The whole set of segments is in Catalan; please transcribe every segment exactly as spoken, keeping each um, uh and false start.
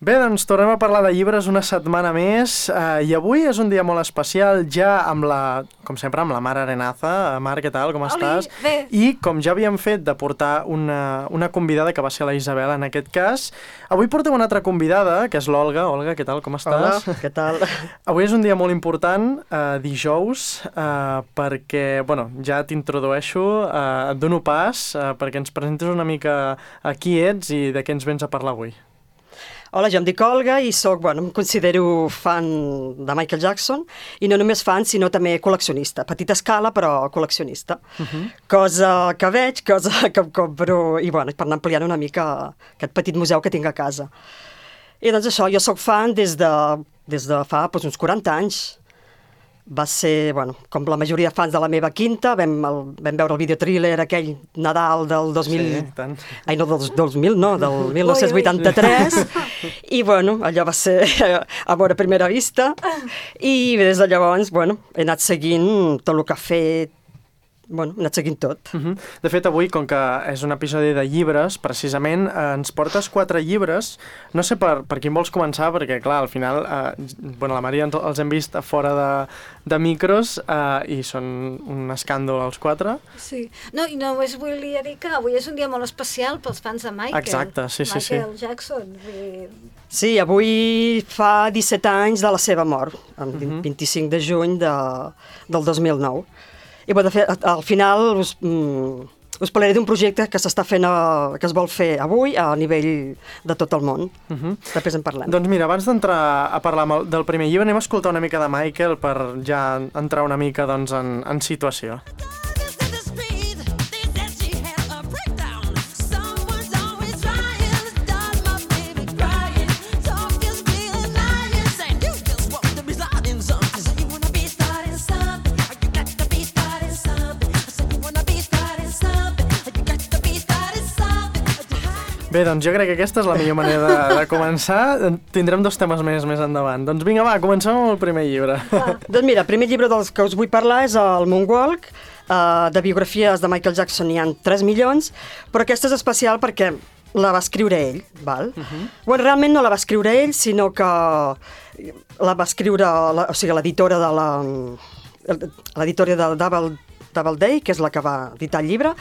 Bé, doncs tornem a parlar de llibres una setmana més eh, i avui és un dia molt especial ja amb la, com sempre, amb la Mar Arenaza. Mar, què tal? Com Oli, estàs? Bé. I com ja havíem fet de portar una, una convidada, que va ser la Isabel en aquest cas, avui portem una altra convidada, que és l'Olga. Olga, què tal? Com estàs? Hola, què tal? Avui és un dia molt important, eh, dijous, eh, perquè, bueno, ja t'introdueixo, eh, et dono pas eh, perquè ens presentis una mica a qui ets i de què ens vens a parlar avui. Hola, jo em dic Olga i soc, bueno, em considero fan de Michael Jackson i no només fan, sinó també col·leccionista. Petita escala, però col·leccionista. Uh-huh. Cosa que veig, cosa que em compro i, bueno, per anar ampliant una mica aquest petit museu que tinc a casa. I doncs això, jo soc fan des de, des de fa doncs, uns quaranta anys. Va ser, bueno, com la majoria de fans de la meva quinta, vam, el, vam veure el videotrailer aquell Nadal del dos mil... Sí, tant. Ai, no, del dos mil, no, del mil nou-cents vuitanta-tres. I, bueno, allò va ser amor a primera vista. I des de llavors, bueno, he anat seguint tot el que ha fet. Bueno, he anat seguint tot. Uh-huh. De fet, avui, com que és un episodi de llibres, precisament eh, ens portes quatre llibres. No sé per, per quin vols començar, perquè, clar, al final, eh, bueno, la Maria ens, els hem vist a fora de, de micros eh, i són un escàndol els quatre. Sí. No, i només volia dir que avui és un dia molt especial pels fans de Michael. Exacte, sí, sí, sí. Michael Jackson. I... Sí, avui fa disset anys de la seva mort, el Uh-huh. vint-i-cinc de juny de, del dos mil nou. I bueno, de fet, al final us, mm, us parlaré d'un projecte que s'està fent, a, que es vol fer avui a nivell de tot el món. Uh-huh. Després en parlem. Doncs mira, abans d'entrar a parlar el, del primer llibre, anem a escoltar una mica de Michael per ja entrar una mica doncs, en, en situació. Bé, doncs jo crec que aquesta és la millor manera de, de començar. Tindrem dos temes més més endavant. Doncs vinga, va, comencem amb el primer llibre. Ah. Doncs mira, el primer llibre dels que us vull parlar és el Moonwalk. Uh, de biografies de Michael Jackson n'hi ha tres milions, però aquesta és especial perquè la va escriure ell, val? Uh-huh. Bueno, realment no la va escriure ell, sinó que la va escriure, la, o sigui, l'editora de la... l'editora de Double Doubleday, que és la que va editar el llibre,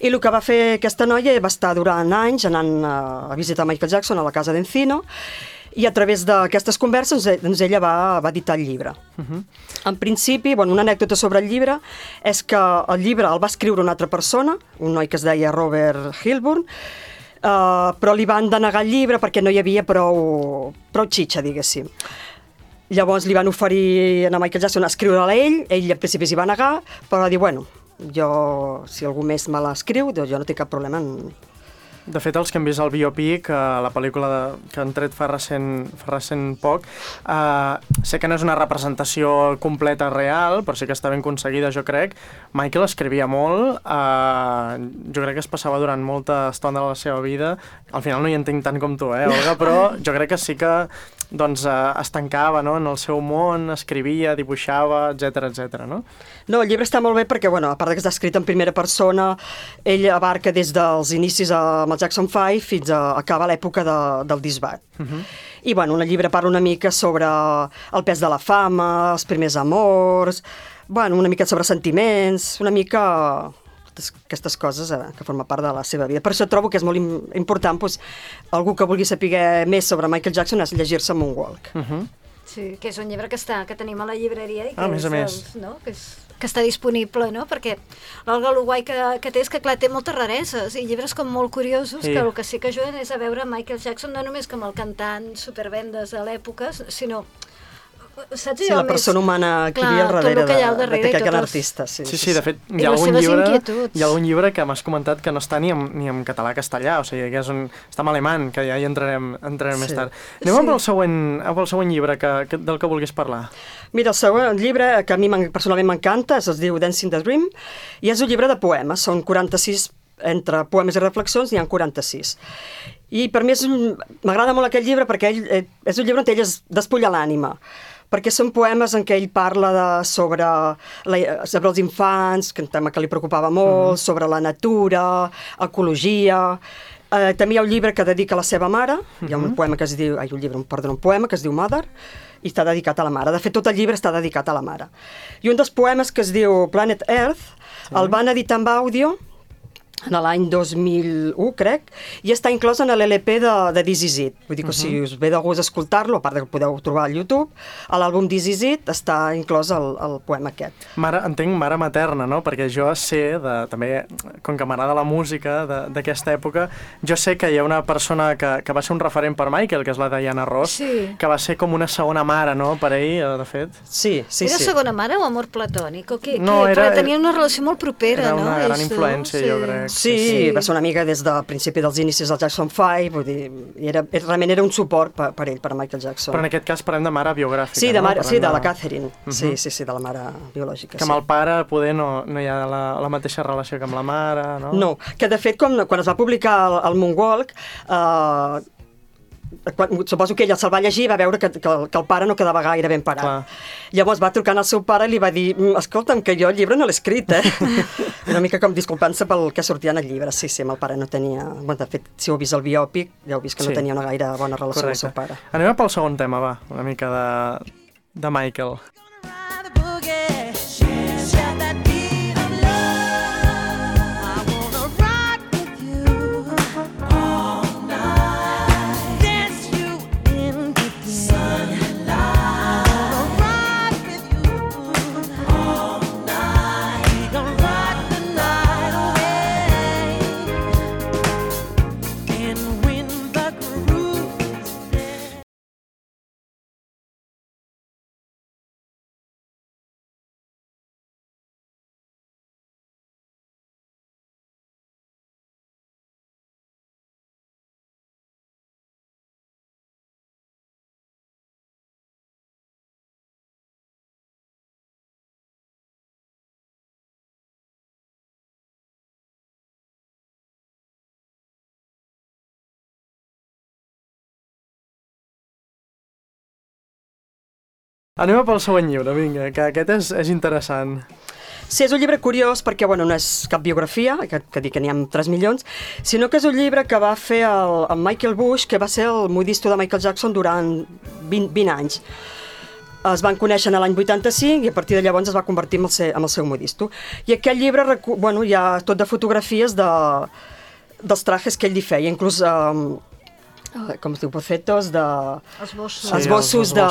i el que va fer aquesta noia va estar durant anys anant a visitar Michael Jackson a la casa d'Encino, i a través d'aquestes converses doncs ella va, va editar el llibre. Uh-huh. En principi, bueno, una anècdota sobre el llibre és que el llibre el va escriure una altra persona, un noi que es deia Robert Hilburn, uh, però li van denegar el llibre perquè no hi havia prou, prou xitxa, diguéssim. Llavors li van oferir a Michael Jackson a escriure-la a ell, ell al principi s'hi va negar, però va dir, bueno, jo, si algú més me l'escriu, doncs jo no tinc cap problema en... De fet, els que hem vist el biopic, eh, la pel·lícula de, que han tret fa recent, fa recent poc, eh, sé que no és una representació completa real, però sí que està ben aconseguida, jo crec. Michael escrivia molt, eh, jo crec que es passava durant molta estona de la seva vida. Al final no hi entenc tant com tu, eh, Olga, però jo crec que sí que doncs, eh, es tancava, no?, en el seu món, escrivia, dibuixava, etcètera, etcètera, no? No, el llibre està molt bé perquè, bueno, a part que està escrit en primera persona, ell abarca des dels inicis amb el Jackson five fins a acabar l'època de, del disbat. Uh-huh. I, bueno, el llibre parla una mica sobre el pes de la fama, els primers amors, bueno, una mica sobre sentiments, una mica aquestes coses eh, que formen part de la seva vida. Per això trobo que és molt im- important doncs, algú que vulgui saber més sobre Michael Jackson és llegir-se Moonwalk. Uh-huh. Sí, que és un llibre que, està, que tenim a la llibreria i que, Ah, a més és, a més. doncs, no? que, és, que està disponible, no? Perquè l'Olga el guai que, que té és que, clar, té moltes rareses i llibres com molt curiosos, Sí. que el que sí que ajuden és a veure Michael Jackson no només com el cantant supervendes de l'època, sinó... Saps Sí, allò la persona més... humana que Clar, hi havia al tot darrere el que hi ha al de- darrere i d'aquest gran tots els- artista. Sí, Sí, sí, de fet, I hi ha, les algun seves llibre, inquietuds. hi ha algun llibre que m'has comentat que no està ni en, ni en català-castellà, o sigui, que és un, està en alemany, que ja hi entrarem, entrarem Sí. més tard. Anem Sí. amb, el següent, amb el següent llibre que, que, del que vulguis parlar. Mira, el següent llibre, que a mi m'en- personalment m'encanta, es diu Dancing the Dream, i és un llibre de poemes, són quaranta-sis, entre poemes i reflexions n'hi ha quaranta-sis. I per mi és un- m'agrada molt aquest llibre perquè ell, eh, és un llibre on ell es despulla l'ànima, perquè són poemes en què ell parla de, sobre, la, sobre els infants, que un tema que li preocupava molt, uh-huh. sobre la natura, ecologia, Uh, també hi ha un llibre que dedica a la seva mare, hi ha un poema que es diu, ai, un llibre, perdó, un poema que es diu Mother, i està dedicat a la mare. De fet, tot el llibre està dedicat a la mare. I un dels poemes que es diu Planet Earth, sí. el van editar amb àudio en l'any dos mil u, crec, i està inclòs en l'L P de, de This Is It. Vull dir que uh -huh. si us ve de gust escoltar-lo, a part que ho podeu trobar al YouTube, a l'àlbum This Is It està inclòs el, el poema aquest. Mare, entenc mare materna, no? Perquè jo sé, de, també, com que m'agrada la música d'aquesta època, jo sé que hi ha una persona que, que va ser un referent per Michael, que és la Diana Ross, sí. que va ser com una segona mare, no?, per ell, de fet. Sí, sí, era sí. segona mare o amor platònic? O què? No, què? era, Perquè tenia una relació molt propera, era no? Era una gran Ells influència, dos, jo sí. crec. Sí, sí, va ser una amiga des del principi dels inicis del Jackson Five, vull dir, era, realment era un suport per, per ell, per Michael Jackson. Però en aquest cas parlem de mare biogràfica, sí, de mare, no? sí, de la Catherine, uh -huh. sí, sí, sí, de la mare biològica. Que amb sí. el pare poder no, no hi ha la, la mateixa relació que amb la mare, no? No, que de fet, quan, quan es va publicar el, el Moonwalk, eh, quan, suposo que ella se'l va llegir i va veure que, que, el, que el pare no quedava gaire ben parat. Clar. Llavors va trucar al seu pare i li va dir, escolta'm, que jo el llibre no l'he escrit, eh? Una mica com disculpant-se pel que sortia en el llibre. Sí, sí, amb el pare no tenia... Bueno, de fet, si heu vist el biòpic, ja heu vist que sí. no tenia una gaire bona relació Correcte. Amb el seu pare. Anem pel segon tema, va, una mica de, de Michael. Anem pel següent llibre, vinga, que aquest és, és interessant. Sí, és un llibre curiós perquè, bueno, no és cap biografia, que, que dic que n'hi ha tres milions, sinó que és un llibre que va fer el, el Michael Bush, que va ser el modisto de Michael Jackson durant vint, vint anys. Es van conèixer en l'any vuitanta-cinc i a partir de llavors es va convertir en el seu, en el seu modisto. I aquest llibre, bueno, hi ha tot de fotografies de, dels trajes que ell li feia, inclús... Um, com es diu, bocetos de... Esbossos. Sí, esbossos de,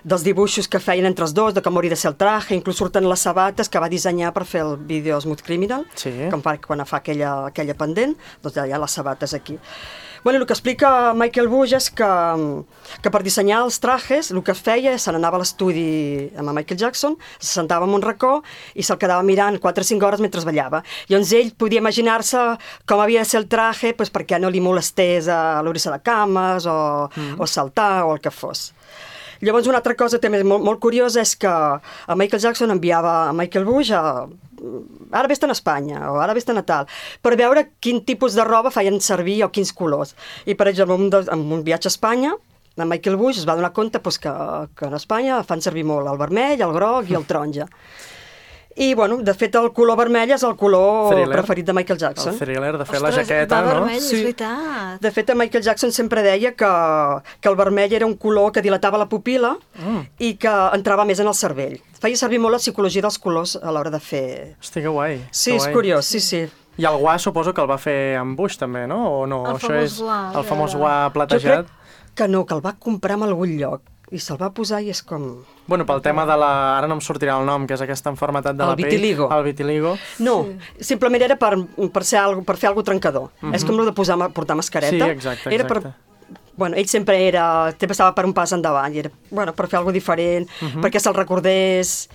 dels dibuixos que feien entre els dos, de com hauria de ser el traje, inclús surten les sabates que va dissenyar per fer el vídeo Smooth Criminal, sí. com per, quan fa aquella, aquella pendent, doncs ja hi ha les sabates aquí. Bueno, el que explica Michael Bush és que, que per dissenyar els trajes el que feia és se n'anava a l'estudi amb Michael Jackson, se sentava en un racó i se'l quedava mirant quatre o cinc hores mentre ballava. Llavors ell podia imaginar-se com havia de ser el traje pues, perquè no li molestés a l'obrir-se de cames o, mm. o saltar o el que fos. Llavors una altra cosa també molt, molt curiosa és que a Michael Jackson enviava a Michael Bush a... ara vés-te'n a Espanya o ara vés-te'n a tal, per veure quin tipus de roba feien servir o quins colors. I per exemple, en un, en un viatge a Espanya, en Michael Bush es va donar compte pues, que, que en Espanya fan servir molt el vermell, el groc i el taronja. I, bueno, de fet, el color vermell és el color Thriller. Preferit de Michael Jackson. El Thriller, de fet, Ostres, la jaqueta, va no? vermell, Sí. és veritat. De fet, en Michael Jackson sempre deia que, que el vermell era un color que dilatava la pupil·la Mm. i que entrava més en el cervell. Feia servir molt la psicologia dels colors a l'hora de fer... Hosti, que guai. Sí, que és guai. curiós, sí, sí. I el guà suposo que el va fer amb Bush, també, no? O no? El Això famós és guà, el famós ja. guà Jo platejat. crec que no, que el va comprar en algun lloc i se'l va posar i és com... Bueno, pel tema de la... Ara no em sortirà el nom, que és aquesta enfermetat de El la pell. vitiligo. El vitiligo. No, sí. simplement era per, per, ser algo, per fer alguna cosa trencador. Mhm. És com el de posar, portar mascareta. Sí, exacte, Era per, exacte. bueno, ell sempre era... Sempre estava per un pas endavant i era bueno, per fer alguna cosa diferent, Mhm. perquè se'l recordés...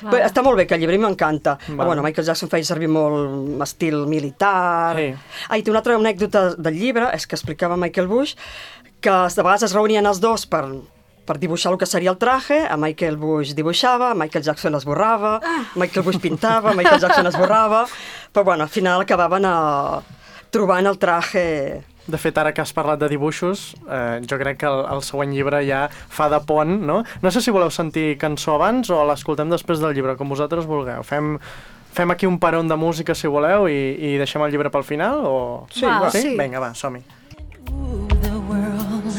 Clar. Però està molt bé, que el llibre m'encanta. Vale. Però, bueno, Michael Jackson feia servir molt estil militar. Sí. Ah, i té una altra anècdota del llibre, és que explicava Michael Bush, que de vegades es reunien els dos per, per dibuixar el que seria el traje, a Michael Bush dibuixava, Michael Jackson esborrava, ah. Michael Bush pintava, Michael Jackson esborrava, però bueno, al final acabaven a... trobant el traje... De fet, ara que has parlat de dibuixos, eh, jo crec que el, el següent llibre ja fa de pont, no? No sé si voleu sentir cançó abans o l'escoltem després del llibre, com vosaltres vulgueu. Fem, fem aquí un peron de música, si voleu, i, i deixem el llibre pel final, o... Sí, va, sí? sí. Vinga, va, som-hi. The world,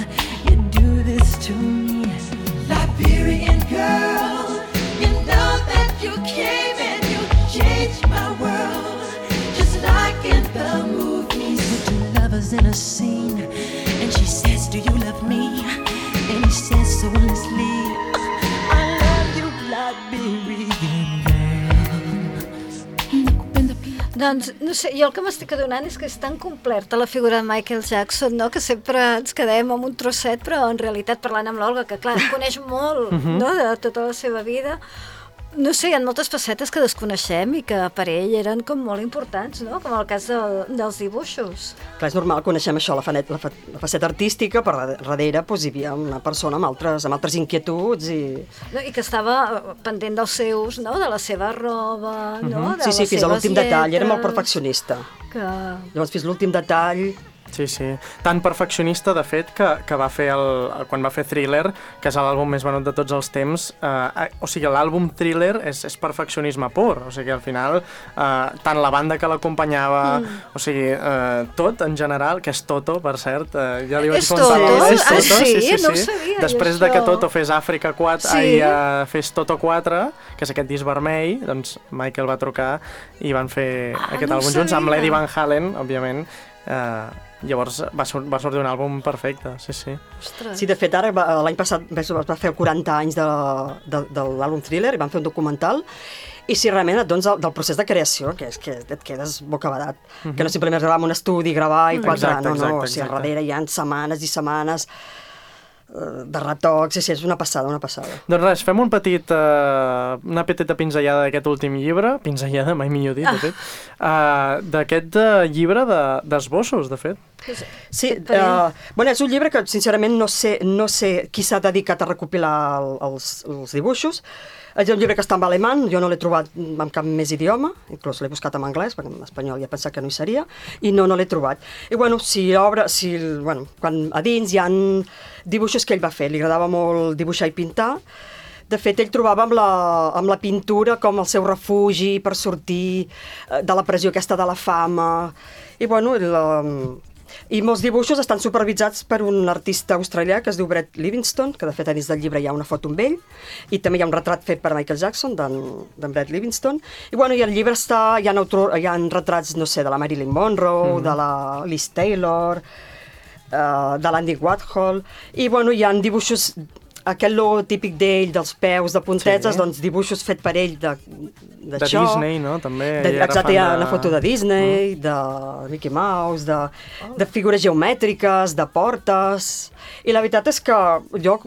you do this to me, Liberian girl. You know that you came and you changed my world, just like in the movies. With two lovers in a scene, and she says, "Do you love me?" And he says so honestly, "I love you, Liberian girl." Doncs, no sé, jo el que m'estic adonant és que és tan completa la figura de Michael Jackson, no?, que sempre ens quedem amb un trosset, però en realitat parlant amb l'Olga, que clar, coneix molt, Mhm. no?, de tota la seva vida. No sé, hi ha moltes facetes que desconeixem i que per ell eren com molt importants, no?, com el cas de, dels dibuixos. Clar, és normal, coneixem això, la, fanet, la, fa, la faceta artística, però darrere doncs, hi havia una persona amb altres, amb altres inquietuds i... No, i que estava pendent dels seus, no?, de la seva roba, no?, de Sí, sí, les fins a seves l'últim detall, era molt lletres, perfeccionista. Que... Llavors, fins a l'últim detall... Sí, sí. Tan perfeccionista, de fet, que, que va fer el, quan va fer Thriller, que és l'àlbum més venut de tots els temps, eh, o sigui, l'àlbum Thriller és, és perfeccionisme pur, o sigui, al final, eh, tant la banda que l'acompanyava, mm. o sigui, eh, tot en general, que és Toto, per cert, eh, ja li vaig És contar. Toto? És Ah, Toto, sí? No ho sabia, Després jo, de que això. Toto fes Àfrica quatre, Sí? i eh, fes Toto quatre, que és aquest disc vermell, doncs Michael va trucar i van fer Ah, aquest no ho àlbum junts, amb sabia. l'Eddie Van Halen, òbviament. Eh, llavors va, sur va sortir un àlbum perfecte, sí, sí. Ostres. Sí, de fet, ara va- l'any passat es va fer quaranta anys de, de, de l'àlbum Thriller i van fer un documental i si realment et dones el, del procés de creació, que és que et quedes bocabadat, mm -hmm. que no simplement gravar en un estudi, gravar i quatre, Exacte, no, no, exacte, o sigui, al exacte. darrere hi ha setmanes i setmanes eh, de retocs, sí, sí, és una passada, una passada. Doncs res, fem un petit, uh, una petita pinzellada d'aquest últim llibre, pinzellada, mai millor dit, de fet, uh, d'aquest uh, llibre d'esbossos, de, de fet. Sí, Per uh, bueno, és un llibre que sincerament no sé, no sé qui s'ha dedicat a recopilar el, els, els dibuixos. És un llibre que està en alemany, jo no l'he trobat en cap més idioma, inclús l'he buscat en anglès, perquè en espanyol ja pensava que no hi seria, i no, no l'he trobat. I bueno, si obre, si, bueno, quan a dins hi ha dibuixos que ell va fer, li agradava molt dibuixar i pintar. De fet, ell trobava amb la, amb la pintura com el seu refugi per sortir eh, de la pressió aquesta de la fama. I bueno, la, i molts dibuixos estan supervisats per un artista australià que es diu Brett Livingston, que de fet a dins del llibre hi ha una foto amb ell, i també hi ha un retrat fet per Michael Jackson, d'en Brett Livingston, i bueno, i el llibre està, hi ha, autor, hi ha retrats, no sé, de la Marilyn Monroe, mm. de la Liz Taylor, uh, de l'Andy Warhol, i bueno, hi ha dibuixos, aquell logo típic d'ell, dels peus, de puntetes, Sí. doncs dibuixos fet per ell de, De d'això. Disney, no? També. De, ell era exacte, fan hi ha de- una foto de Disney, mm. de Mickey Mouse, de, de figures geomètriques, de portes... I la veritat és que jo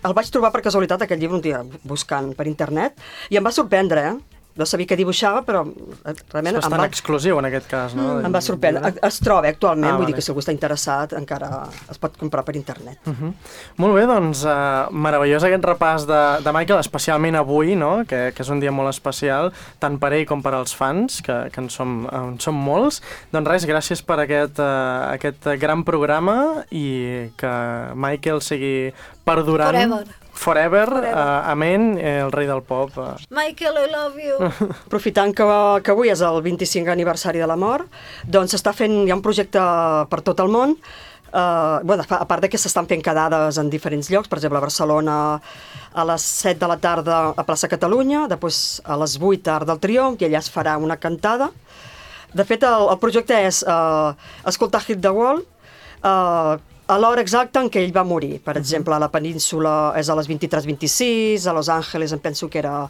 el vaig trobar per casualitat, aquest llibre, un dia buscant per internet, i em va sorprendre, eh? No sabia què dibuixava, però eh, realment És em bastant va, exclusiu en aquest cas, no? em va sorprendre. Es troba actualment, Ah, vull vale. dir que si algú està interessat encara es pot comprar per internet. Uh -huh. Molt bé, doncs, uh, meravellós aquest repàs de, de Michael, especialment avui, no? que, que és un dia molt especial, tant per ell com per als fans, que, que en, som, en som molts. Doncs res, gràcies per aquest, uh, aquest gran programa i que Michael sigui perdurant. Forever. Forever, Forever. Uh, amén, eh, el rei del pop. Uh. Michael, I love you. Aprofitant que, que avui és el vint-i-cinquè aniversari de la mort, doncs s'està fent, hi ha un projecte per tot el món, uh, bueno, a part de que s'estan fent quedades en diferents llocs, per exemple a Barcelona a les set de la tarda a Plaça Catalunya, després a les vuit a Arc del Triomf, i allà es farà una cantada. De fet, el, el projecte és uh, escoltar Hit the Wall, uh, a l'hora exacta en què ell va morir. Per exemple, a la península és a les vint-i-tres vint-i-sis, a Los Angeles em penso que era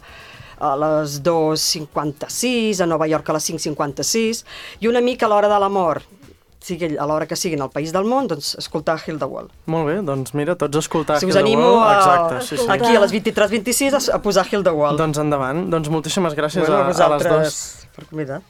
a les dos cinquanta-sis, a Nova York a les cinc cinquanta-sis, i una mica a l'hora de la mort, sigui a l'hora que sigui en el país del món, doncs escoltar Heal the World. Molt bé, doncs mira, tots a escoltar Si Heal us the animo World. a, Exacte, sí, sí. aquí a les vint-i-tres vint-i-sis a, a posar Heal the World. Doncs endavant. Doncs moltíssimes gràcies bueno, a, a les vosaltres dues. per convidar.